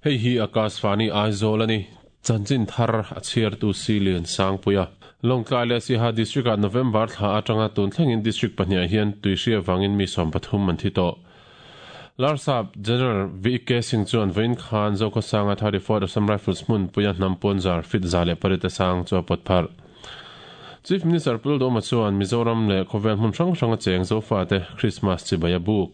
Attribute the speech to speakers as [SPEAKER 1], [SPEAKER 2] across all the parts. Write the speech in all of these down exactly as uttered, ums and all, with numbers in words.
[SPEAKER 1] Hei hi Akashvani Aizawl ani. Chanchin thar a chhiartu Silian Sangpuia. Lawngtlai leh Siaha District ah November thla atanga tun thlengin District pahnih ah hian tuihri avangin mi sawm pathum an thi tawh. Larsap General V K Singh chuan vawiin khan Zokhawsanga thirty fourth Assam Rifles hmun puia hnam pawnzar fit za leh pariat a sang chu a pawt pharh. Chief Minister Pu Lalduhoma chuan Mizoram leh khawvel hmun hrang hranga cheng Zofate Christmas chibai a buk.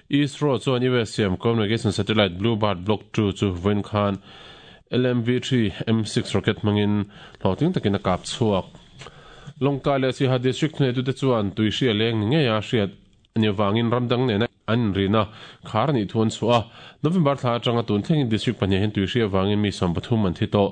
[SPEAKER 1] ISRO chuan U S siam communication satellite Bluebird Block two chu vawiin khan L M V three M six rocket hmangin hlawhtling takin a kap chhuak. Lawngtlai leh Siaha District hnehtute chuan tuihri a leng ni ngei a hriat ani avangin ramdang nena an inrina khar anih thu an chhuah a. November thla atanga tun thlengin District pahnih hian tuihri avangin mi sawm pathum an thi tawh.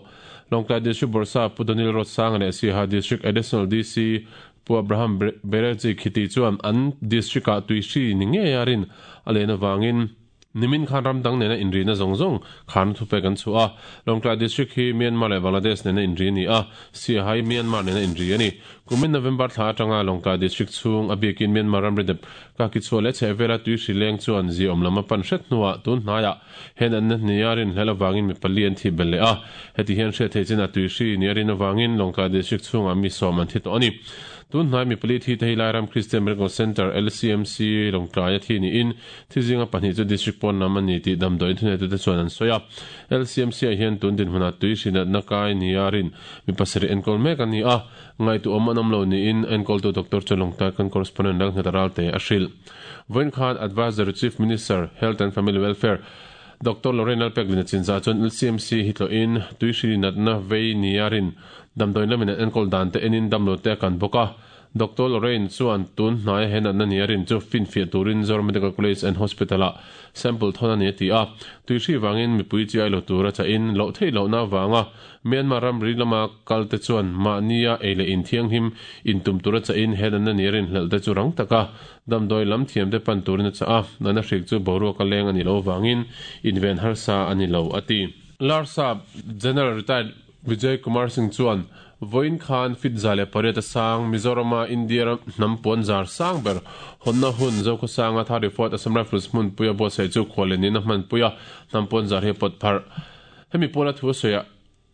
[SPEAKER 1] Lawngtlai District Bawrhsa Pu Donil Rotsanga leh Siaha District Additional D C Pu Abraham Bereji Khiti chuan an district ah tuihri ni ngei a rin a len avangin nimin khan ramdang nena inrina zawng zawng khan thupek an chhuah a. Lawngtlai District hi Myanmar leh Bangladesh nena inri ni a, Siaha hi Myanmar nena inri a ni. Kumin November thla atanga Lawngtlai District chhung a biakin Myanmar ramri dep ka kichhuah leh chhehvela tuihri leng chuan zi awm lam a pan hret hnuah tun hnaiah hen an na hnia rin hlel avangin mi pali an thi bel leh a. Heti hian hriat theih chin a tuihri ni a rin avangin Lawngtlai District chhungah mi sawm an thi tawh a ni. Tun hnai mi pali thi te hi Lairam Christian Medical Centre L C M C Lawngtlai a thi niin thi zinga pahnih chu District pawn lam a ni tih damdawi thuneitu te chuan an sawi a. L C M C ah hian tun dinhmunah tuihri natna kai nia rin mi pasarih enkawl mek a ni a. Ngaitu awm an awm lo niin enkawltu Doctor chu Lawngtlai kan correspondent Lalnghet Ralte a hrilh. Vawiin khan Advisory Chief Minister Health and Family Welfare Doctor Lorraine Lalpeklin a chinzah chuan L C M C hi tlawhin tuihri natna vei nia rin damdawi lamin an enkawl dan te enin damlo te a kan bawk a. Doctor Lorraine chuan tun hnai he natna nia rin chu finfiah turin Zoram Medical College and Hospital ah sample thawn a ni a ti a. Tuihri vangin mipui chi ai lo tur a chahin loh theih lohna avanga Myanmar ramri lama kal te chuan mahnia ei leh inthianghlim intum tur a chahin he natna nia rin hlelh te chu rang taka damdawi lam thiam te pan turin a chah a. Natna hrik chu boruak a leng a ni lo avangin inven harsa a ni lo a ti. Larsap General Retired Vijay Kumar Singh chuan vawiin khan fit za leh pariat a sang Mizorama India ram hnam pawnzar sang ber hawnna hun Zokhawsanga thirty fourth Assam Rifles hmun puia buatsaih chu khuallenin a hman puia hnam pawnzar hi pawt pharh. Hemi pawla thu sawiah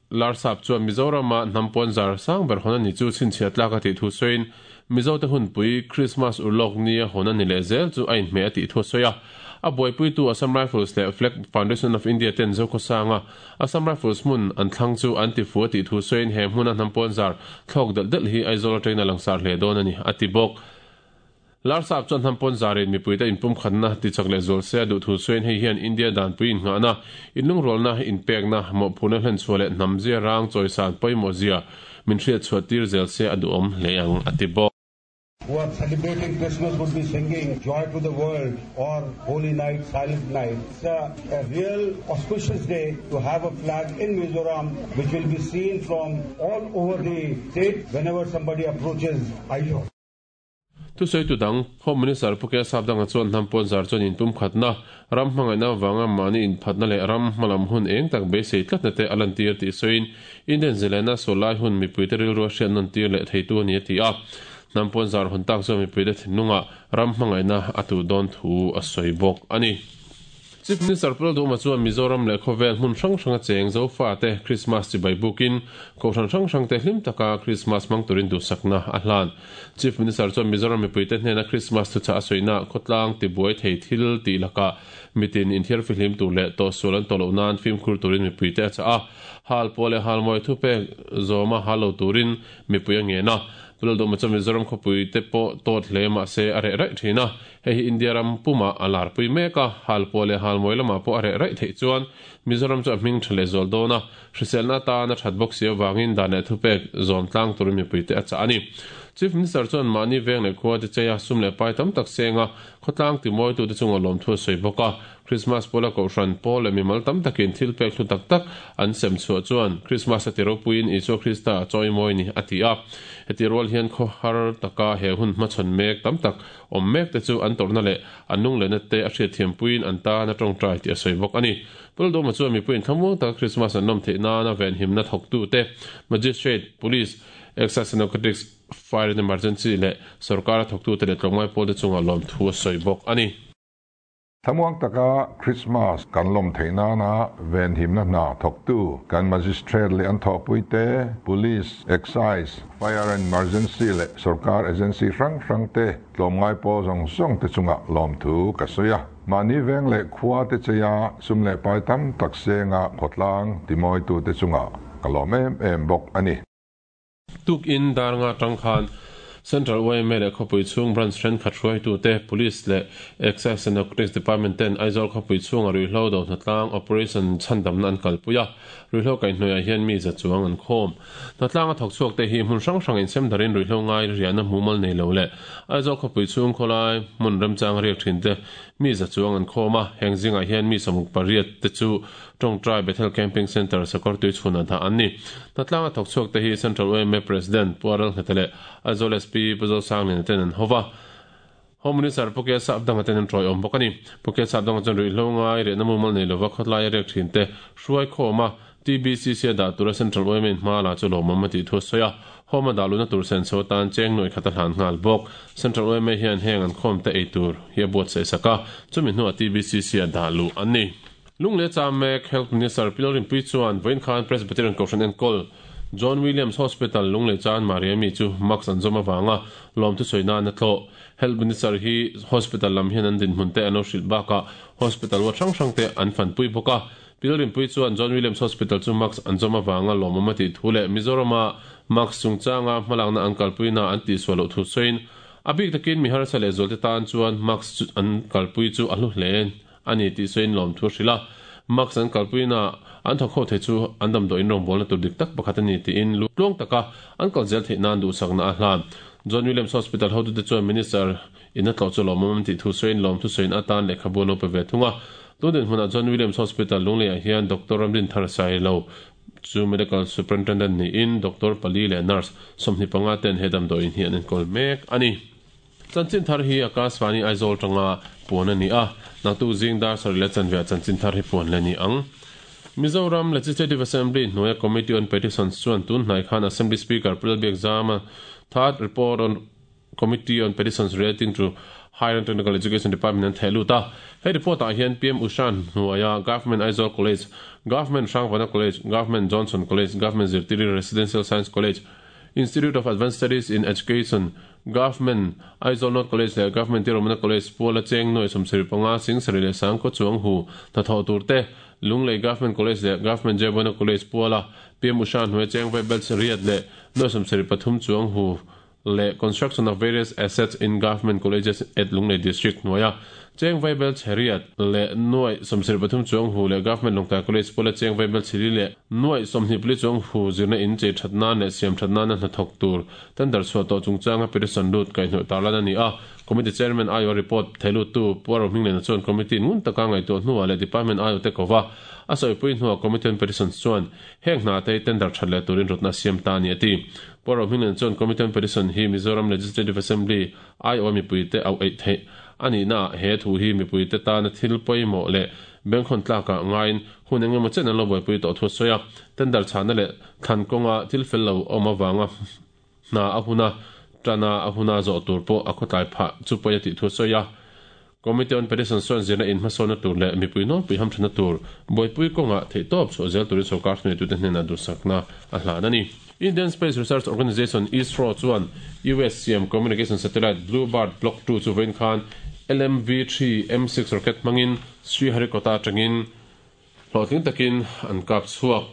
[SPEAKER 1] Larsap chuan Mizorama hnam pawnzar sang ber hawn ani chu chhinchhiah tlak a tih thu sawiin Mizo te hun pui Christmas urlawk nia hawn ani leh zel chu a inhmeh a tih thu sawi a. A buaipuitu Assam Rifles leh Flag Foundation of India ten Zokhawsanga Assam Rifles hmun an thlang chu an ti fu a tih thu sawiin he hmuna hnam pawnzar thlawk delh delh hi Aizawl atangin a langsar hle dawn a ni a ti bawk. Larsap chuan hnam pawnzarin mipuite inpum khatna tichak leh zual se a duh thu sawiin hei hian India danpui innghahna inlungrualna inpekna mawhphurna hlenchhuah leh hnam zia rang chawisan pawimawh zia min hriat chhuah tir zel se a duhawm hle ang a ti bawk.
[SPEAKER 2] Who are celebrating Christmas would be singing Joy to the World or Holy Night, Silent Night. It's a, a real auspicious day to have a flag in Mizoram which will be seen from all over the state whenever somebody approaches Aizawl.
[SPEAKER 1] Tu sawi tu dang Home Minister Pu K Sapdanga chuan hnam pawnzar chuan inpum khatna ram hmangaihna avanga mahni inphatna leh ram hmalam hun eng tak beisei tlatna te a lan tir tih sawiin Indian zilena sawlai hun mipuite rilru a hriat nawn tir leh theitu a ni a ti a. Hnam pawnzar hun tak chuan mipuite thinlunga ram hmangaihna a tuh dawn thu a sawi bawk a ni. Chief Minister Pu Lalduhoma chuan Mizoram leh khawvel hmun hrang hranga cheng Zofa te Christmas chibai bukin kohhran hrang hrang te hlim taka Christmas hmang turin duhsakna a hlan. Chief Minister chuan Mizoram mipuite hnena Christmas thu chah a sawina khawtlang tibuai thei thil tih lakah mitin inthiar fihlim tur leh tawhsual an tawh loh nan fimkhur turin mipuite a chah a. Hal pawh leh hal mawi thupek zawma hal lo turin mipui a ngen a. Pu Lalduhoma chuan Mizoram khawpui te pawh tawt hle mah se a reh raih thin a. Hei hi India ram puma a lar pui mek a. Hal pawh leh hal mawi lamah pawh a reh raih theih chuan Mizoram chu a hming tha leh zual dawn a. Hriselna atan a that bawk si avangin dan leh thupek zawm tlang turin mipui te a chah a ni. Chief Minister chuan mahni veng leh khua te cheia sum leh pai tam tak senga khawtlang timawitu te chunga lawm thu a sawi bawk a. Christmas pawla kohhran pawl leh mimal tam takin thil pek hlu tak tak an sem chhuah chuan Christmas a ti ropuiin Isua Krista a chawi mawi ni a ti a. Heti rual hian khaw har taka he hun hmachhawn mek tam tak awm mek te chu an tawrhna leh an lunglehna te a hriat thiampuiin an tan a tawngtai tih a sawi bawk a ni. Pu Lalduhoma chuan mipuiin thlamuang taka Christmas an nawm theih nana venhimna thawktu te Magistrate, Police, Excise and Narcotics, Fire and Emergency leh sarkar a thawktu te leh tlawmngai pawl te chunga lawm thu a sawi bawk a ni.
[SPEAKER 3] Thamuang taka Christmas kan lom theina na ven himna na thoktu kan magistrate le an thopui te police, excise, fire and emergency le sarkar agency rang rang te tlomngai po zong zong te chunga lom thu ka soya mani veng le khua te cheya sum le pai tam tak se nga khotlang timoi tu te chunga kalom em em bok ani.
[SPEAKER 1] Tuk in dar nga tang khan Central Y M A le khopui chung branch then khat tu te, police le Excise and Narcotics Department ten Aizawl khopui chung a ruihhlo do hnatlang Operation Chhandam na an kalpuia. Ruihhlo kai hnuaiah hian mi za chuang an khawm. Hnatlang a thawk chhuak te hi hmun hrang hrang in sem darin ruihhlo ngai riahna mumal nei lo leh Aizawl khopui chung khawlai hmun remchang riak thin te mi za chuang an khawm a. Heng zingah hian mi sawmruk pariat te chu Tawngtai Bethel Camping Center Sakawrtuichhun a dah an ni. Hnatlang a thawk chhuak te hi Central Y M A President Pu Aral Hnete leh Aizawl S P Pu Zosangliana ten an hova. Home Minister Pu K Sapdanga ten an tawi awm bawk a ni. Pu K Sapdanga chuan ruihhlo ngai rehna mumal nei lova khawtlai a riak thin te hruai khawm a T B C C a dah tura Central Y M A in hma la chu lawmawm a tih thu a sawi a. Home a dah luna tur sen chho tan cheng nuai khat a hlan nghal bawk. Central Y M A hian heng an khawm te ei tur hi a buatsaih sak a, chumi hnuah T B C C a dah luh an ni. Lunglei cham mek Health Minister Pi Lalrinpuii chuan vawiin khan Presbyterian Kohhran enkawl John Williams Hospital Lunglei Chanmari ami chu mask an zawm avanga lawmthu sawi nan a tlawh. Health Minister hi hospital lam hian an dinhmun te an lo hrilh bakah hospital ward hrang hrang te an fanpui bawk a. Pi Lalrinpuii chuan John Williams Hospital chu mask an zawm avanga lawmawm a tih thu leh Mizorama mask chungchanga hmalakna an kalpuina an tihsual loh thu sawiin a bik takin mi harsa leh zualte tan chuan mask an kalpui chu a hlu hle ani tih sawiin lawmthu a hrilh a. Mask an kalpuina an thawk ho thei chu an damdawiin rawngbawlna tur dik tak pakhat a ni tiin tluang taka an kal zel theih nan duhsakna a hlan. John Williams Hospital hotute chuan Minister in a tlawh chu lawmawm an tih thu sawiin lawmthu sawiin atan lehkhabu an lo pe ve thung a. Tun dinhmunah John Williams Hospital Lungleiah hian Doctor Ramdinthar Sailo chu Medical Superintendent niin Doctor pali leh nurse sawmhnih panga ten he damdawiin hi an enkawl mek a ni. Chanchin thar hi Akashvani Aizawl tanga puan a ni a. Naktuk zing dar sarih leh chanve chanchin thar hi puan le ni ang. Mizoram Legislative Assembly hnuaia Committee on Petitions chuan tun hnai khan Assembly Speaker Pu Lalbiakzama third report on Committee on Petitions relating to Higher and Technical Education Department an theh lut a. He report ah hian P M Usha hnuaia Government Aizawl College, Government Hrangvana College, Government Johnson College, Government Zirtiri Residential Science College, Institute of Advanced Studies in Education, Government Aizawl North College leh Government Tiromana College puala cheng nuai sawmsarih panga sing sarih leh sangkaw chuang hu hnathawh tur te, Lunglei Government College leh Government Jebona College puala P M Usha hnuai cheng vaibel riat leh nuai sawmsarih pathum chuang hu leh construction of various assets in government colleges at Lunglei District hnuaia cheng vaibel chheriat leh nuai sawmsarih pathum chuang hu leh Government Lawngtlai College puala cheng vaibel chhili leh nuai sawmhnih pali chuang hu zirna in chei that nan leh siam that nan a hnathawk tur tender chhuah tawh chungchanga petition lut kaihhnawih tarlan a ni a. Committee chairman aio report theilut tu Pu Rohmingliana chuan committee ngun taka ngaihtuah hnuah leh department aio te kova a sawipui hnuah committee on petitions chuan heng hna te tender that leh turin rawtna siam ta ni a ti. Pu Rohmingliana chuan committee on petition hi Mizoram Legislative Assembly aio mipui te au eih theih ani na he thu hi mipui te tana thil pawimawh leh bengkhawn tlakah ngaiin hun engemaw chen an lo buaipui tawh thu a sawi a. Tender chhana leh thlan kawnga thil fel lo awm awanga hna a huna tana a huna zawh tur pawh a khawtlai phah chu pawi a tih thu a sawi a. Committee on Petition chuan zirna in hmasawnna tur leh mipui nawlpui hamthana tur buaipui kawnga theih tawp chhuah zel turin sorkar hnuai tute hnenah duhsakna a hlan a ni. Indian Space Research Organisation ISRO chuan U S siam communication satellite Bluebird Block two chu vawiin khan L M V three M six rocket hmangin Sriharikota atangin hlawhtling takin an kap chhuak.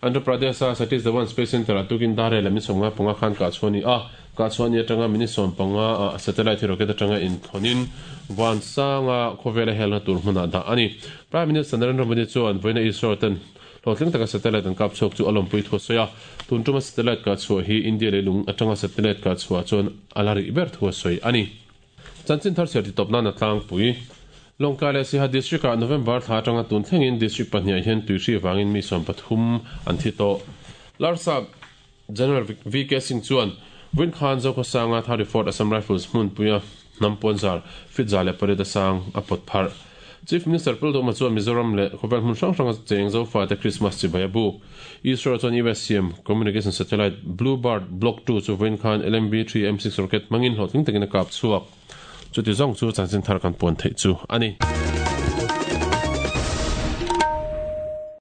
[SPEAKER 1] Andhra Pradesh a Satish Dhawan Space Center a tukin dar leh minute sawmnga panga khan kah chhuah ni a. Kah chhuah ni atanga minute sawm panga a satellite hi rocket atanga inthlawnin van sanga khawvela helna tur hmunah dah ani. Prime Minister Narendra Modi chuan vawiina ISRO ten hlawhtling taka satellite an kap chhuak chu a lawmpui thu a sawi a. Tun tuma satellite kah chhuah hi India leilung atanga satellite kah chhuah chuan a la rih ber thu a sawi ani. Chanchin thar chhiar ti tawp nan a tlangpui. Lawngtlai leh Siaha District ah November thla atanga tun thlengin district pahnih hian tuihri wangin mi sawm pathum an thi tawh. Larsap General V K Singh chuan vawiin khan Zokhawsanga thirty fourth Assam Rifles hmunpuia hnam puanzar fit za leh pariat a sang a pawt pharh. Chief Minister Pu Lalduhoma chuan Mizoram leh khawvel hmun hrang hranga cheng Zofa te Christmas chibai a buk. ISRO chuan U S siam communication satellite Bluebird Block two chu vawiin khan L M V three M six rocket hmangin hlawhtling takin a kap chhuak. Chuti zawng chu chanchin thar kan puan theih chu ani.